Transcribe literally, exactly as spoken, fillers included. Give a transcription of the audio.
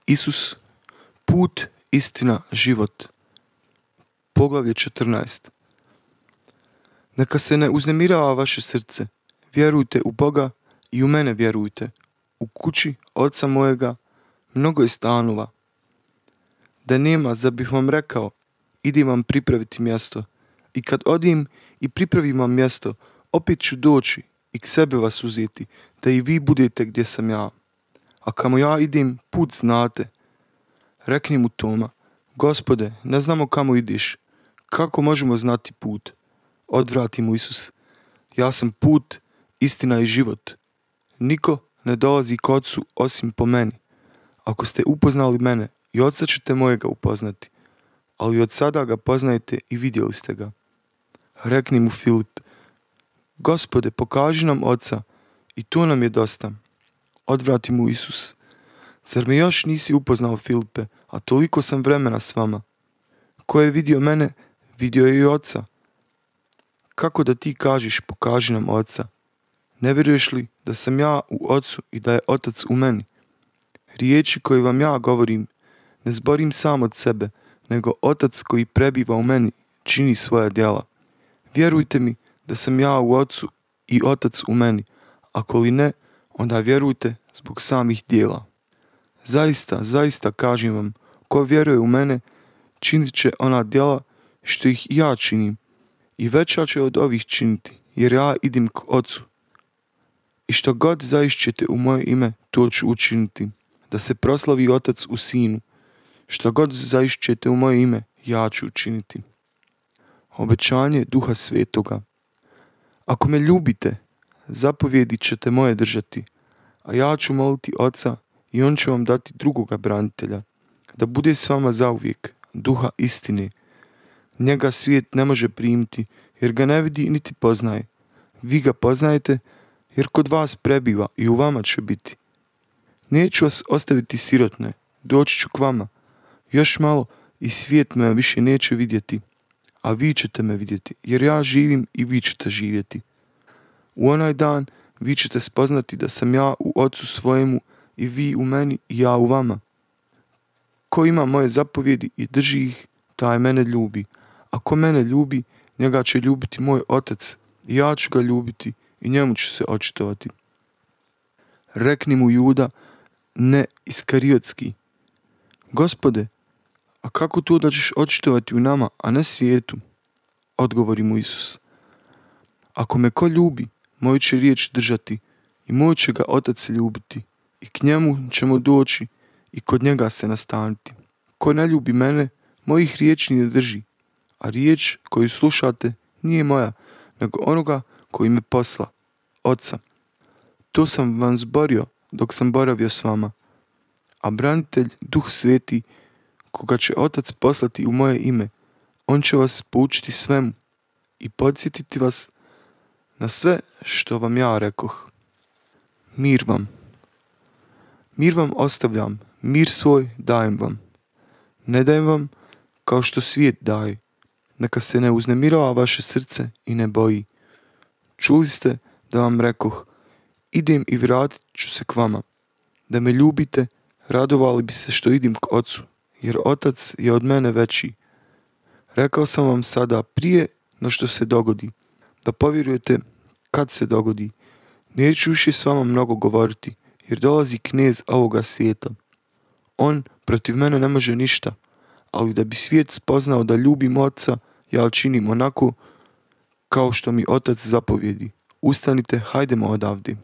Isus, put, istina, život. Poglavlje četrnaest. Neka se ne uznemirava vaše srce. Vjerujte u Boga i u mene vjerujte. U kući oca mojega mnogo je stanova. Da nema, zar bih vam rekao, idem vam pripraviti mjesto. I kad odim i pripravim vam mjesto, opet ću doći i k sebe vas uzeti, da i vi budete gdje sam ja. A kamo ja idem, put znate. Rekni mu Toma, Gospode, ne znamo kamo ideš. Kako možemo znati put? Odvrati mu Isus, ja sam put, istina i život. Niko ne dolazi k Otcu osim po meni. Ako ste upoznali mene, i Otca ćete mojega upoznati. Ali od sada ga poznajete i vidjeli ste ga. Rekni mu Filip, Gospode, pokaži nam Otca, i to nam je dosta. Odvrati mu Isus, zar me još nisi upoznao, Filipe, a toliko sam vremena s vama? Ko je vidio mene, vidio je i Otca. Kako da ti kažeš, pokaži nam Otca? Ne vjeruješ li da sam ja u Otcu i da je Otac u meni? Riječi koje vam ja govorim, ne zborim sam od sebe, nego Otac koji prebiva u meni čini svoja djela. Vjerujte mi da sam ja u Otcu i Otac u meni, ako li ne, onda vjerujte zbog samih djela. Zaista, zaista kažem vam, ko vjeruje u mene, činit će ona djela što ih i ja činim, i veća će od ovih činiti, jer ja idem k Otcu. I što god zaišćete u moje ime, to ću učiniti, da se proslavi Otac u Sinu. Što god zaišćete u moje ime, ja ću učiniti. Obećanje Duha Svetoga. Ako me ljubite, zapovjedi ćete moje držati, a ja ću moliti Oca i on će vam dati drugoga branitelja, da bude s vama zauvijek, Duha istine. Njega svijet ne može primiti, jer ga ne vidi niti poznaje. Vi ga poznajete, jer kod vas prebiva i u vama će biti. Neću vas ostaviti sirotne, doći ću k vama. Još malo i svijet me više neće vidjeti, a vi ćete me vidjeti, jer ja živim i vi ćete živjeti. U onaj dan vi ćete spoznati da sam ja u Otcu svojemu i vi u meni i ja u vama. Ko ima moje zapovjedi i drži ih, taj mene ljubi. A ko mene ljubi, njega će ljubiti moj Otac, i ja ću ga ljubiti i njemu ću se očitovati. Rekni mu Juda, ne Iskariotski, Gospode, a kako to da ćeš očitovati u nama, a ne svijetu? Odgovori mu Isus, ako me ko ljubi, moju će riječ držati i moj će ga Otac ljubiti i k njemu ćemo doći i kod njega se nastaniti. Ko ne ljubi mene, mojih riječi ne drži, a riječ koju slušate nije moja, nego onoga koji me posla, Otca. To sam vam zborio dok sam boravio s vama. A branitelj, Duh Sveti, koga će Otac poslati u moje ime, on će vas poučiti svemu i podsjetiti vas na sve što vam ja rekoh. Mir vam. Mir vam ostavljam, mir svoj dajem vam. Ne dajem vam kao što svijet daje. Neka se ne uznemirava vaše srce i ne boji. Čuli ste da vam rekoh, idem i vratit ću se k vama. Da me ljubite, radovali bi se što idem k Otcu, jer Otac je od mene veći. Rekao sam vam sada prije no što se dogodi, da povjerujete kad se dogodi. Neću više s vama mnogo govoriti, jer dolazi knez ovoga svijeta. On protiv mene ne može ništa, ali da bi svijet spoznao da ljubim Otca, ja činim onako kao što mi Otac zapovjedi. Ustanite, hajdemo odavde.